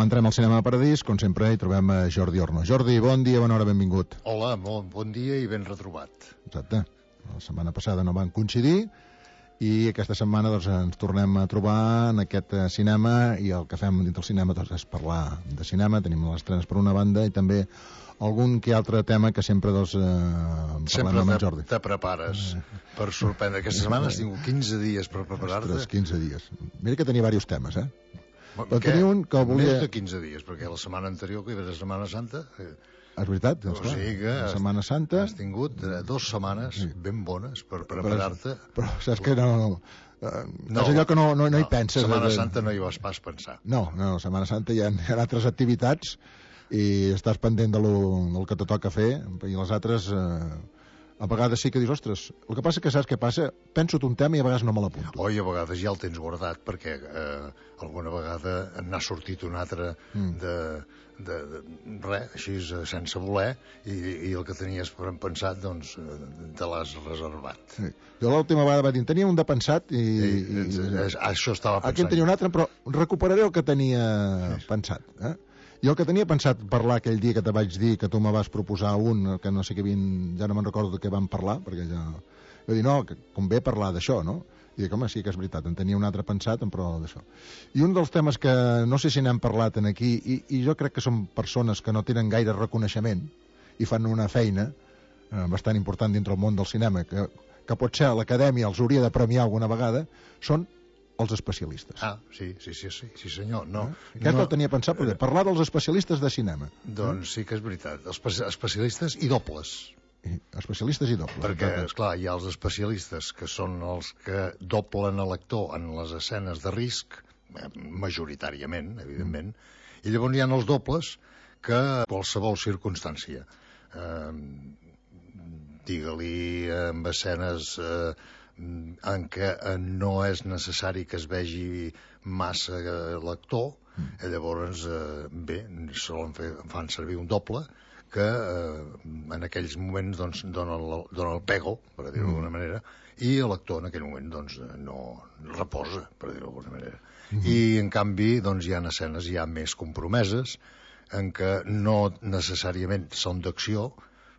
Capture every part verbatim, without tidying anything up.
entrem al Cinema Paradís, com sempre hi trobem a Jordi Orno. Jordi, bon dia, bona hora, benvingut. Hola, bon, bon dia i ben retrobat. Exacte, la setmana passada no van coincidir i aquesta setmana doncs, ens tornem a trobar en aquest uh, cinema, i el que fem dins del cinema doncs, és parlar de cinema. Tenim les estrenes per una banda i també algun que altre tema que sempre doncs, uh, parlem amb en Jordi. Sempre te prepares per sorprendre. Aquesta setmana has tingut quinze dies per preparar-te. Ostres, quinze dies. Mira que tenia diversos temes, eh? Però tenia un que volia... Més de quinze dies, perquè la setmana anterior, que hi va la Setmana Santa... Eh... És veritat, doncs, o sigui que la Setmana Santa... Has tingut eh, dues setmanes sí. ben bones per preparar-te. Però, però saps que no... no, no és allò que no, no, no hi penses. Setmana de... Santa no hi vas pas pensar. No, no, Setmana Santa hi ha, hi ha altres activitats i estàs pendent de lo, del que te toca fer, i les altres... Eh... a vegades sí que dius, ostres, el que passa que saps què passa? Penso un tema i a vegades no me l'apunto. Oi, a vegades ja el tens guardat perquè eh, alguna vegada n'ha sortit un altre mm. de, de, de res, així sense voler, i, i el que tenies pensat doncs te l'has reservat. Sí. Jo l'última vegada vaig dir, tenia un de pensat i... I, i, i això estava pensant. Aquí en tenia un altre, però recuperaré el que tenia sí. pensat, eh? Jo el que tenia pensat parlar aquell dia que te vaig dir que tu me vas proposar un, que no sé què vint, ja no me'n recordo de què vam parlar, perquè ja... Jo dir, no, que convé parlar d'això, no? I dic, home, sí que és veritat, en tenia un altre pensat, però d'això. I un dels temes que no sé si n'hem parlat en aquí, i, i jo crec que són persones que no tenen gaire reconeixement i fan una feina eh, bastant important dintre el món del cinema, que, que potser l'acadèmia els hauria de premiar alguna vegada, són els especialistes. Ah, sí, sí, sí, sí, sí senyor. No, eh? Aquest no, el tenia pensat, perquè parlar dels especialistes de cinema. Doncs eh? sí que és veritat. Els especialistes i dobles. I especialistes i dobles. Perquè, esclar, hi ha els especialistes que són els que doblen a l'actor en les escenes de risc, majoritàriament, evidentment, mm. i llavors hi ha els dobles que a qualsevol circumstància, eh, digue-li amb escenes... Eh, en què no és necessari que es vegi massa l'actor, mm. llavors eh, bé, solen fer, fan servir un doble que eh, en aquells moments doncs, dona, el, dona el pego, per dir-ho d'alguna mm. manera, i l'actor en aquell moment doncs, no reposa, per dir-ho d'alguna manera. Mm. I en canvi doncs, hi ha escenes ja més compromeses en què no necessàriament són d'acció,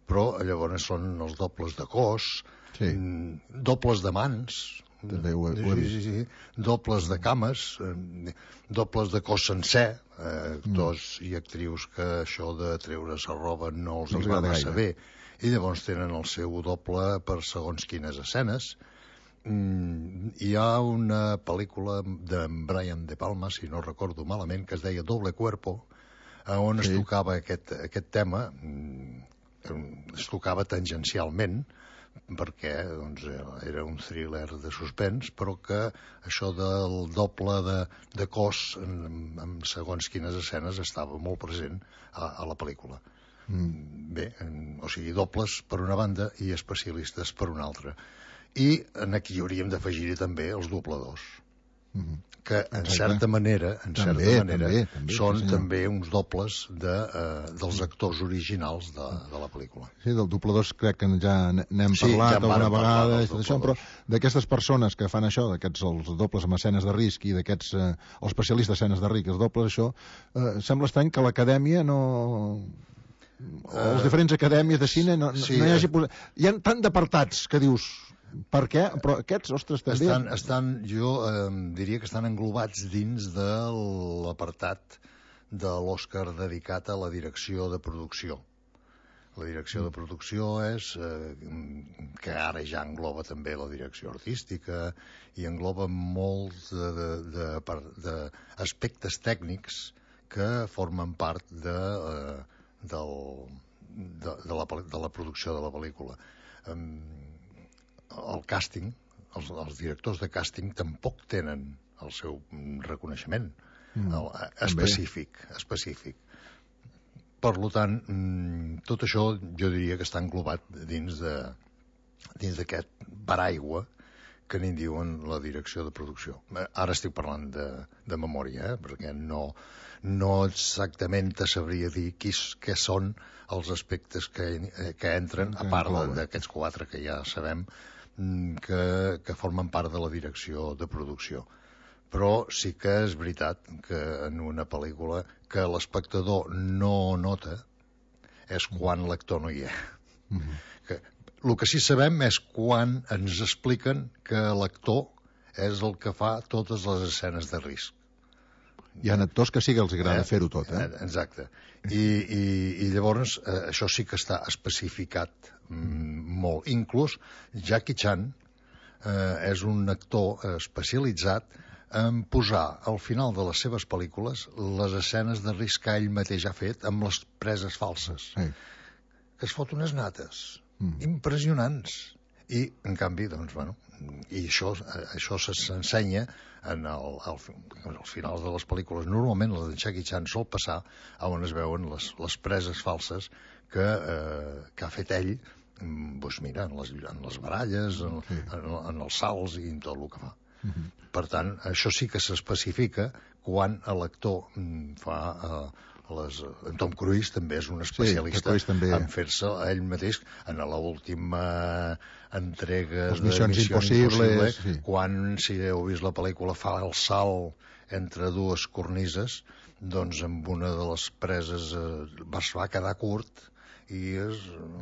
però llavors són els dobles de cos, sí. dobles de mans, també ho he, ho he sí, sí, sí, dobles de cames, dobles de cos sencer, eh, actors mm. i actrius que això de treure's la roba no els, els hi va massa bé, i llavors tenen el seu doble per segons quines escenes. Mm, hi ha una pel·lícula de Brian De Palma, si no recordo malament, que es deia Doble Cuerpo, on sí. es tocava aquest, aquest tema, es tocava tangencialment, perquè doncs, era un thriller de suspens, però que això del doble de, de cos en, en segons quines escenes estava molt present a, a la pel·lícula. Mm. Bé, en, o sigui, dobles per una banda i especialistes per una altra. I en aquí hauríem d'afegir-hi també els dobladors. Mm. que en Exacte. certa manera, en també, certa manera també, també, són sí, també uns dobles de, uh, dels actors originals de, de la pel·lícula. Sí, del dobladors crec que ja n'hem sí, parlat ja alguna vegada, això, però d'aquestes persones que fan això, d'aquests els dobles amb escenes de risc i d'aquests eh, els especialistes d'escenes de risc, els dobles, això, eh, sembla estrany que l'acadèmia no... o les uh, diferents acadèmies de cine no, sí, no hi hagi posat... Hi ha tant d'apartats que dius... Per què? Però aquests, ostres, també... Estan, estan jo eh, diria que estan englobats dins de l'apartat de l'Oscar dedicat a la direcció de producció. La direcció de producció és eh, que ara ja engloba també la direcció artística i engloba molts d'aspectes tècnics que formen part de, eh, del, de, de, la, de la producció de la pel·lícula. Eh, el càsting, els, els directors de càsting tampoc tenen el seu reconeixement mm, el, específic, específic. Per tant, tot això jo diria que està englobat dins de dins d'aquest paraigua que n'hi diuen la direcció de producció. Ara estic parlant de, de memòria, eh? perquè no, no exactament te sabria dir qui, què són els aspectes que, que entren, a part d'aquests quatre que ja sabem, que, que formen part de la direcció de producció. però sí que és veritat que en una pel·lícula que l'espectador no nota és quan l'actor no hi és. Mm-hmm. Que, el que sí sabem és quan ens expliquen que l'actor és el que fa totes les escenes de risc. Hi ha actors que sí que els agrada eh? fer-ho tot, eh? Exacte. I, i, i llavors eh, això sí que està especificat mm, molt. Inclús Jackie Chan eh, és un actor especialitzat en posar al final de les seves pel·lícules les escenes de risc que ell mateix ha fet amb les preses falses. Sí. Que es fot unes nates mm. impressionants. I, en canvi, doncs, bueno, i això, això s'ensenya en el, el, als finals de les pel·lícules. Normalment la de Jackie Chan sol passar on es veuen les, les preses falses que, eh, que ha fet ell, doncs mira, en les, en les baralles, en, sí. en, en els salts i en tot el que fa. Uh-huh. Per tant, això sí que s'especifica quan l'actor fa... Eh, Les, en Tom Cruise també és un especialista sí, també... en fer-se a ell mateix en l'última entrega les missions de Missió Impossible, sí. Quan, si heu vist la pel·lícula, fa el salt entre dues cornises, doncs amb una de les preses eh, es va quedar curt i es,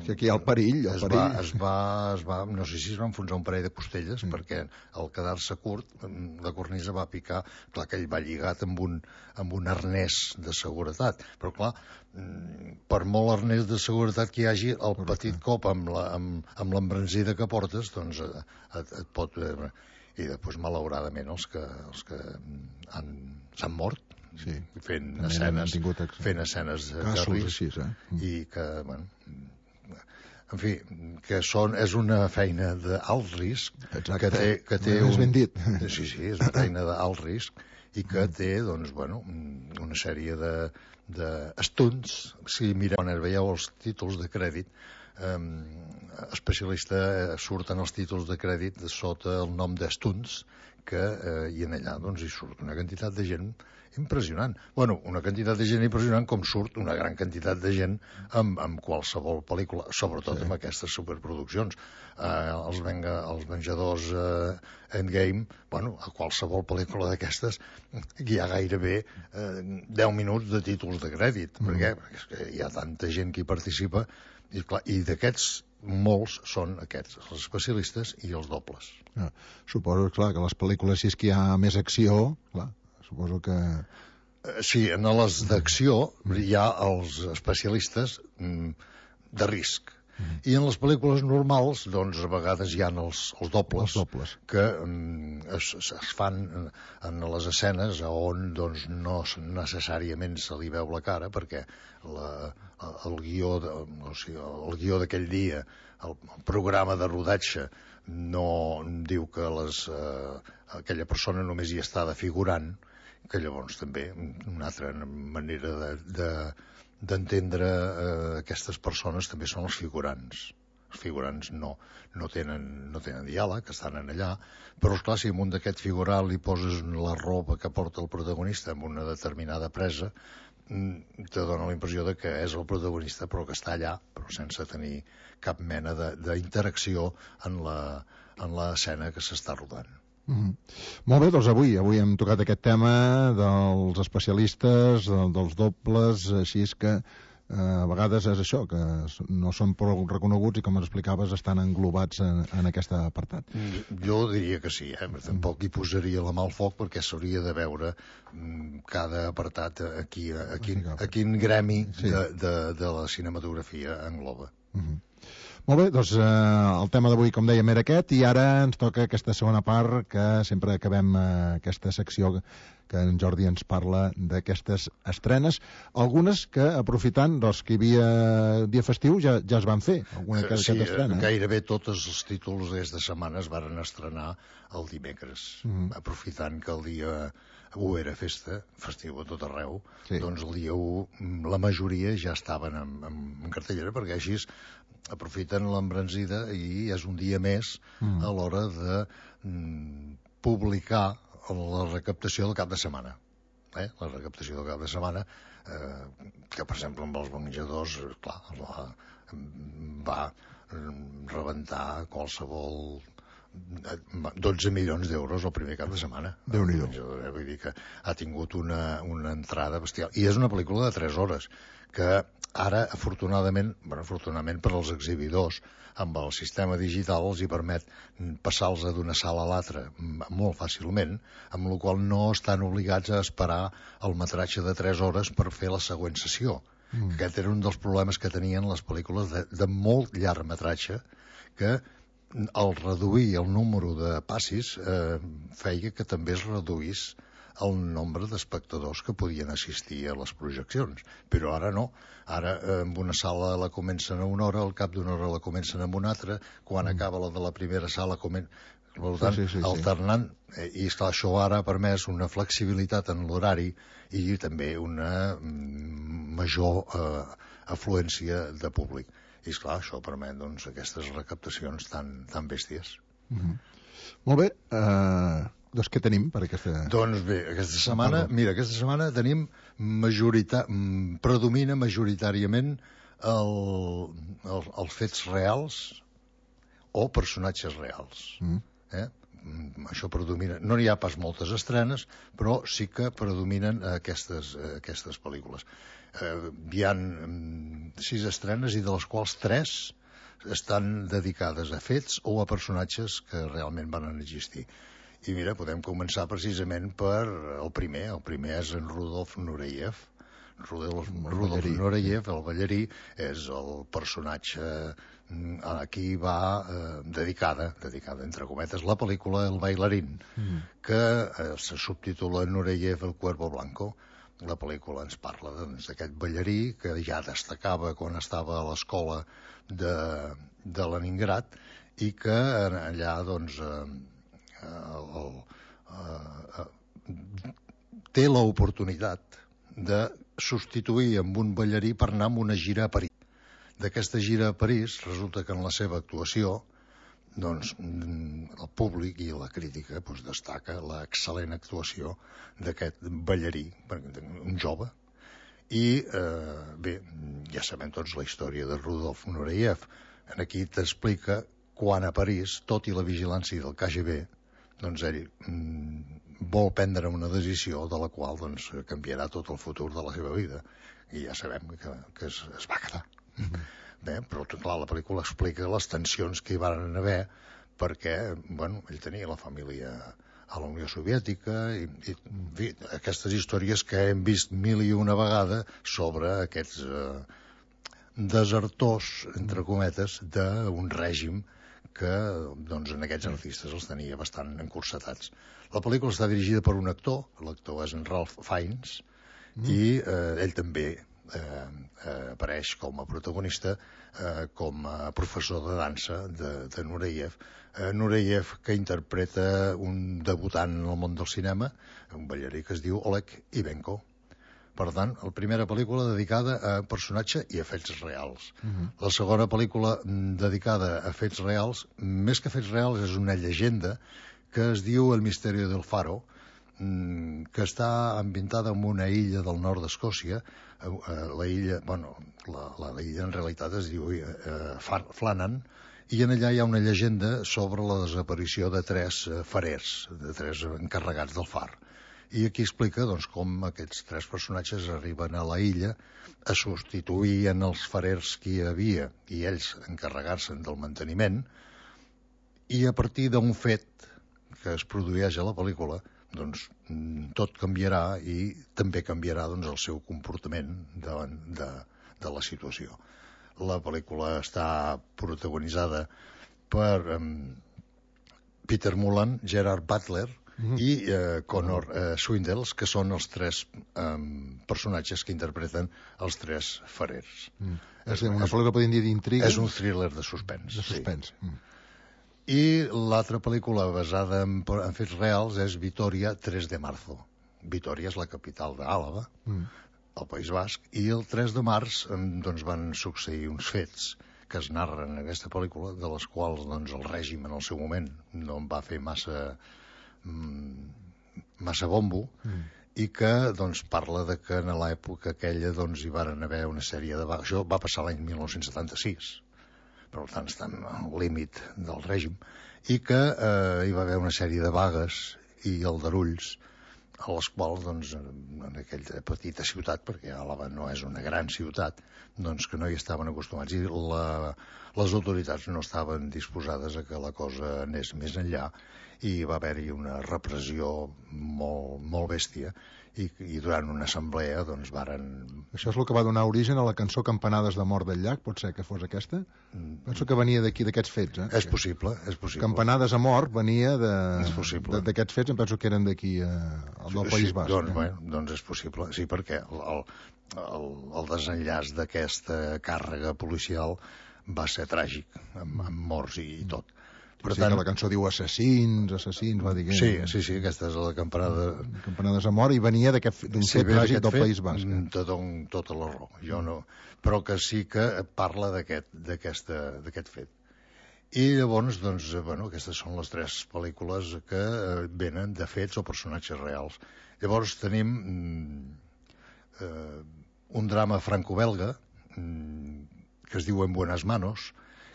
que aquí hi ha el perill, el es, perill. Va, es, va, es va, no sé si es va enfonsar un parell de costelles, mm. perquè al quedar-se curt la cornisa va picar, clar que ell va lligat amb un, amb un arnès de seguretat, però clar, per molt arnès de seguretat que hi hagi, el Correcte. Petit cop amb la, amb, amb l'embranzida que portes, doncs et, et, et pot... Eh, i després, malauradament, els que, els que han, s'han mort, sí, fent escenes, fent escenes de risc, així, eh? mm. i que, bueno, en fi, que són, és una feina d'alt risc. Exacte. Que té, que té un... ben dit. Sí, sí, és una feina d'alt risc i que té, doncs, bueno, una sèrie de, de stunts. Si mireu, quan veieu els títols de crèdit, um, especialista eh, surten els títols de crèdit sota el nom de stunts, que eh, i en allà doncs hi surt una quantitat de gent impressionant. Bueno, una quantitat de gent impressionant com surt una gran quantitat de gent amb, amb qualsevol pel·lícula, sobretot sí. amb aquestes superproduccions. Eh, els, venga, els Venjadors eh, Endgame, bueno, a qualsevol pel·lícula d'aquestes hi ha gairebé eh, deu minuts de títols de crèdit. Mm. Per què? Perquè és que hi ha tanta gent que hi participa i, clar, i d'aquests molts són aquests, els especialistes i els dobles. Ah, suposo, clar, que les pel·lícules, si és que hi ha més acció, clar, suposo que... Sí, en les d'acció hi ha els especialistes de risc. Mm. I en les pel·lícules normals, doncs, a vegades hi ha els, els dobles, els dobles. que um, es, es fan en les escenes on doncs, no necessàriament se li veu la cara, perquè la, el guió de, o sigui, el guió d'aquell dia, el, el programa de rodatge, no diu que les, eh, aquella persona només hi està de figurant, que llavors també una altra manera de, de d'entendre eh, aquestes persones també són els figurants. Els figurants no, no, tenen, no tenen diàleg, estan en allà, però esclar, si amunt d'aquest figurant li poses la roba que porta el protagonista amb una determinada presa, te dona la impressió de que és el protagonista però que està allà, però sense tenir cap mena d'interacció en la, en l'escena que s'està rodant. Mm-hmm. Molt bé, doncs avui avui hem tocat aquest tema dels especialistes, de, dels dobles, així és que eh, a vegades és això, que no són prou reconeguts i, com ens explicaves, estan englobats en, en aquest apartat. Jo diria que sí, eh? Tampoc hi posaria la mà al foc perquè s'hauria de veure mm, cada apartat a, qui, a, quin, a quin gremi sí. de, de, de la cinematografia engloba. Mm-hmm. Molt bé, doncs eh, el tema d'avui, com dèiem, era aquest, i ara ens toca aquesta segona part, que sempre acabem eh, aquesta secció que en Jordi ens parla d'aquestes estrenes, algunes que, aprofitant doncs, que hi havia dia festiu, ja, ja es van fer, alguna que, sí, estrena. Sí, gairebé tots els títols d'aquesta setmana es van estrenar el dimecres, mm-hmm. aprofitant que el dia u era festa, festiu a tot arreu, sí. Doncs el dia u la majoria ja estaven en, en, en cartellera, perquè així aprofiten l'embranzida i és un dia més mm. a l'hora de mm, publicar la recaptació del cap de setmana. Eh? La recaptació del cap de setmana, eh, que per exemple amb els Venjadors, clar, va, va rebentar qualsevol dotze milions d'euros el primer cap de setmana. Déu-n'hi-do. Vull dir que ha tingut una, una entrada bestial. I és una pel·lícula de tres hores, que ara, afortunadament, bueno, afortunadament per als exhibidors, amb el sistema digital els hi permet passar-los d'una sala a l'altra molt fàcilment, amb la qual no estan obligats a esperar el metratge de tres hores per fer la següent sessió. Mm. Aquest era un dels problemes que tenien les pel·lícules de, de molt llarg metratge, que al reduir el número de passis eh, feia que també es reduís el nombre d'espectadors que podien assistir a les projeccions. Però ara no. Ara eh, en una sala la comencen a una hora, al cap d'una hora la comencen en una altra, quan mm. acaba la de la primera sala comencen... Per tant, sí, sí, sí, alternant, eh, i esclar, això ara ha permès una flexibilitat en l'horari i també una mm, major eh, afluència de públic. I esclar, això permet doncs, aquestes recaptacions tan, tan bèsties. Mm-hmm. Molt bé, eh, doncs què tenim per aquesta... Doncs bé, aquesta setmana, mira, aquesta setmana tenim majorita... predomina majoritàriament el, el, els fets reals o personatges reals. Mm. Eh? Això predomina. No n'hi ha pas moltes estrenes, però sí que predominen aquestes, aquestes pel·lícules. Eh, hi ha sis estrenes i de les quals tres estan dedicades a fets o a personatges que realment van existir. I mira, podem començar precisament per el primer. El primer és en Rudolf Nureyev. Rudolf, Rudolf Nureyev, el ballarí, és el personatge a qui va eh, dedicada, dedicada entre cometes, la pel·lícula El bailarín, mm. que eh, se subtitula Nureyev el cuervo blanco. La pel·lícula ens parla doncs, d'aquest ballarí que ja destacava quan estava a l'escola de, de Leningrad i que allà doncs, eh, el, eh, eh, té l'oportunitat de substituir amb un ballarí per anar amb una gira a París. D'aquesta gira a París resulta que en la seva actuació doncs, el públic i la crítica doncs, destaca l'excel·lent actuació d'aquest ballarí, un jove. I eh, bé, ja sabem tots la història de Rudolf Nureyev. Aquí t'explica quan a París, tot i la vigilància del K G B, doncs ell mm, vol prendre una decisió de la qual doncs, canviarà tot el futur de la seva vida. I ja sabem que, que es, es va quedar. Mm-hmm. Bé, però clar, la pel·lícula explica les tensions que hi van haver perquè, bueno, ell tenia la família a la Unió Soviètica i, i fi, aquestes històries que hem vist mil i una vegada sobre aquests eh, desertors, entre cometes, d'un règim que doncs, en aquests artistes els tenia bastant encursetats. La pel·lícula està dirigida per un actor, l'actor és en Ralph Fiennes, mm. i eh, ell també eh, eh, apareix com a protagonista, eh, com a professor de dansa de, de Nureyev. Eh, Nureyev, que interpreta un debutant en el món del cinema, un ballarí que es diu Oleg Ivenko. Per tant, la primera pel·lícula dedicada a personatge i a fets reals. Uh-huh. La segona pel·lícula dedicada a fets reals, més que fets reals, és una llegenda que es diu El misteri del Faro, que està ambientada en una illa del nord d'Escòcia. La illa, bueno, la, la, la illa en realitat es diu eh, Flannan, i en allà hi ha una llegenda sobre la desaparició de tres farers, de tres encarregats del far. I aquí explica doncs, com aquests tres personatges arriben a la illa a substituir en els farers que hi havia i ells encarregar-se'n del manteniment, i a partir d'un fet que es produeix a la pel·lícula doncs, tot canviarà i també canviarà doncs, el seu comportament davant de, de la situació. La pel·lícula està protagonitzada per um, Peter Mullan, Gerard Butler, Mm-hmm. i eh, Connor eh, Swindells, que són els tres eh, personatges que interpreten els tres farers. Mm. És, és una pel·lícula, podem dir, d'intriga? És un thriller de suspens. De suspens. Sí. Mm. I l'altra pel·lícula basada en, en fets reals és Vitoria, tres de marzo. Vitoria és la capital d'Àlava, mm. al País Basc, i el tres de març doncs, van succeir uns fets que es narren en aquesta pel·lícula, de les quals doncs, el règim en el seu moment no en va fer massa... massa bombo, mm. i que doncs, parla de que en l'època aquella doncs, hi van haver una sèrie de... Això va passar l'any mil nou-cents setanta-sis. per tant estan al límit del règim, i que eh, hi va haver una sèrie de vagues i aldarulls a les quals, doncs, en aquella petita ciutat, perquè Àlaba no és una gran ciutat, doncs que no hi estaven acostumats, i la, les autoritats no estaven disposades a que la cosa anés més enllà, i va haver-hi una repressió molt, molt bèstia, i, i durant una assemblea doncs varen... Això és el que va donar origen a la cançó Campanades de mort del llac, pot ser que fos aquesta? Penso que venia d'aquí, d'aquests fets, eh? És possible, és possible. Campanades a mort venia d'aquests fets, em penso que eren d'aquí, eh, del País sí, Basc. Doncs, eh? bueno, doncs és possible, sí, perquè el, el, el desenllaç d'aquesta càrrega policial va ser tràgic, amb, amb morts i, i tot. Per tant, que la cançó diu assassins, assassins, va dir que... Sí, sí, sí, aquesta és la campanada... Campanades a mort, i venia d'un sí, fet tràgic del fet, País Basc. Tot, tota la raó, jo no... Però que sí que parla d'aquest fet. I llavors, doncs, bueno, aquestes són les tres pel·lícules que venen de fets o personatges reals. Llavors tenim eh, un drama franco-belga que es diu En buenas manos,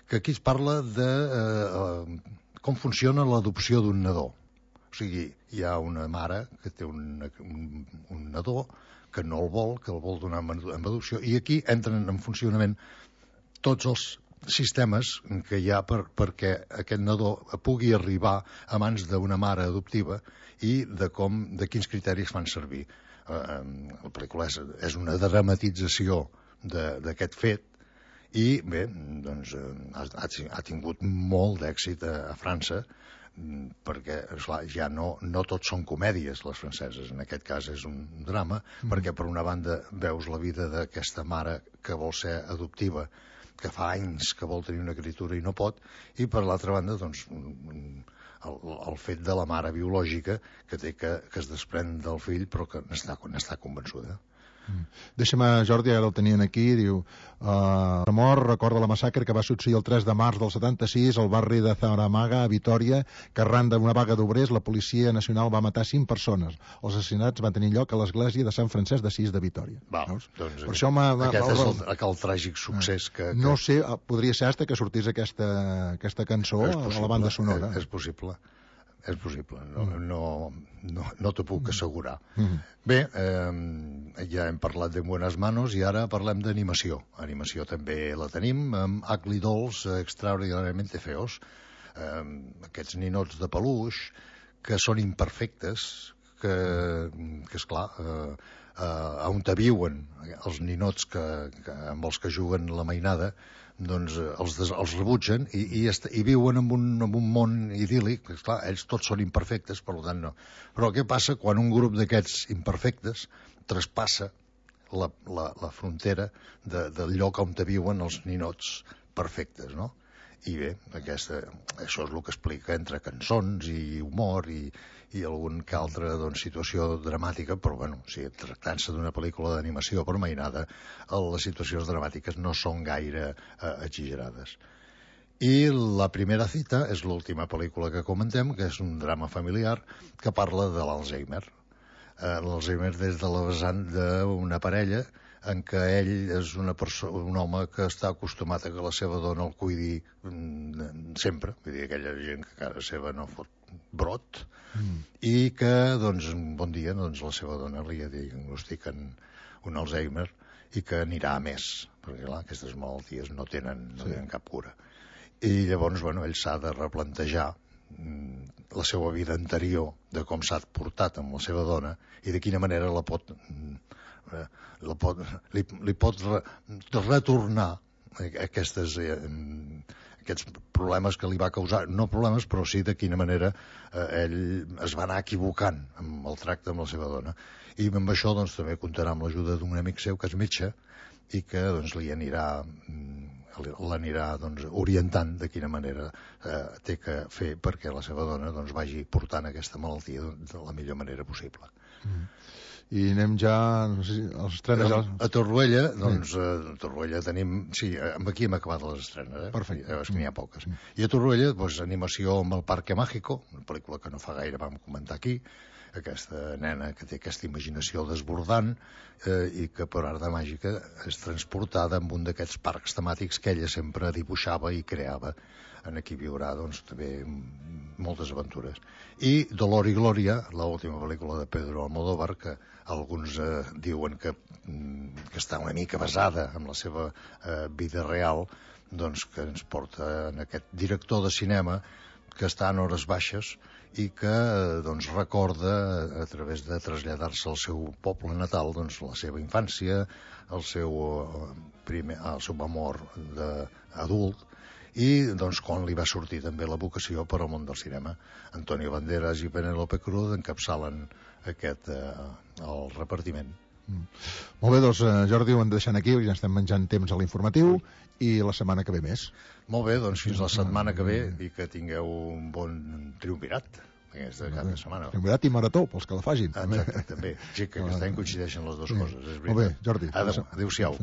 que aquí es parla de eh, com funciona l'adopció d'un nadó. O sigui, hi ha una mare que té un, un, un nadó que no el vol, que el vol donar en adopció, i aquí entren en funcionament tots els sistemes que hi ha per, perquè aquest nadó pugui arribar a mans d'una mare adoptiva i de, com, de quins criteris fan servir. Eh, la pel·lícula és, és una dramatització d'aquest fet, i bé, doncs ha, ha tingut molt d'èxit a, a França, perquè esclar, ja no, no tots són comèdies les franceses, en aquest cas és un drama, mm. perquè per una banda veus la vida d'aquesta mare que vol ser adoptiva, que fa anys que vol tenir una criatura i no pot, i per l'altra banda doncs el, el fet de la mare biològica que té que, que es desprèn del fill però que n'està n'està convençuda. Deixa'm, Jordi, ara el tenien aquí, diu uh, Ramor recorda la massacre que va succeir el tres de març del setanta-sis al barri de Zaramaga, a Vitòria, que arran d'una vaga d'obrers la Policia Nacional va matar cinc persones. Els assassinats van tenir lloc a l'església de Sant Francesc d'Assís de Vitòria. Val, doncs, per això m'ha, aquest és el, el tràgic succés que, que... No sé, podria ser hasta que sortís aquesta, aquesta cançó a la banda sonora. És, és possible. És possible, no, no, no, no t'ho puc assegurar. Mm. Bé, eh, ja hem parlat de Buenas Manos i ara parlem d'animació. Animació també la tenim amb Ugly Dolls Extraordinàriament Feos. Eh, aquests ninots de peluix que són imperfectes, que, que esclar, eh, eh, on te viuen els ninots que, que, amb els que juguen la mainada, doncs els, des, els rebutgen i, i, est, i viuen en un, en un món idíl·lic. Esclar, ells tots són imperfectes, per tant no. Però què passa quan un grup d'aquests imperfectes traspassa la, la, la frontera de, del lloc on viuen els ninots perfectes, no? I bé, aquesta, això és el que explica entre cançons i humor i, i algun que altra doncs, situació dramàtica, però bueno, o sigui, tractant-se d'una pel·lícula d'animació per mainada, les situacions dramàtiques no són gaire eh, exagerades. I la primera cita és l'última pel·lícula que comentem, que és un drama familiar que parla de l'Alzheimer. Eh, L'Alzheimer des de la vessant d'una parella en què ell és una persona, un home que està acostumat a que la seva dona el cuidi mm, sempre, vull dir, aquella gent que a casa seva no fot brot, mm. i que, doncs, un bon dia, doncs, la seva dona li diagnostiquen un Alzheimer i que anirà a més, perquè, clar, aquestes malalties no tenen, no sí. tenen cap cura. I llavors, bueno, ell s'ha de replantejar mm, la seva vida anterior, de com s'ha portat amb la seva dona i de quina manera la pot... Mm, La pot, li, li pot re, retornar aquestes, eh, aquests problemes que li va causar, no problemes, però sí de quina manera eh, ell es va anar equivocant amb el tracte amb la seva dona. I amb això doncs, també comptarà amb l'ajuda d'un amic seu que és metge i que doncs, li anirà l'anirà doncs, orientant de quina manera eh, té que fer perquè la seva dona doncs, vagi portant aquesta malaltia de la millor manera possible. Mm. I anem ja, no sé si els estrenes... A, a Torroella, doncs, sí. a Torroella tenim... Sí, aquí hem acabat les estrenes, eh? Perfecte. Ja veus que n'hi ha poques. Mm. I a Torroella, doncs, animació amb el Parque Mágico, una pel·lícula que no fa gaire vam comentar aquí, aquesta nena que té aquesta imaginació desbordant eh, i que per art de màgica és transportada en un d'aquests parcs temàtics que ella sempre dibuixava i creava. En aquí viurà, doncs, també moltes aventures. I Dolor y Gloria, l'última pel·lícula de Pedro Almodóvar, que alguns eh, diuen que, que està una mica basada en la seva eh, vida real, doncs que ens porta en aquest director de cinema que està en hores baixes i que doncs, recorda, a través de traslladar-se al seu poble natal, doncs, la seva infància, el seu, primer, el seu amor d'adult, i doncs, quan li va sortir també la vocació per al món del cinema. Antonio Banderas i Penélope Cruz encapçalen aquest, eh, el repartiment. Mm. Molt bé, doncs, Jordi, ho hem de deixar aquí, perquè ja estem menjant temps a l'informatiu, i la setmana que ve més. Molt bé, doncs fins la setmana que ve i que tingueu un bon triumvirat aquesta cap de setmana. Triumvirat i marató, pels que la fagin. Exacte, també. Sí, que aquest any coincideixen les dues coses. És Molt bé, Jordi. Adéu-siau.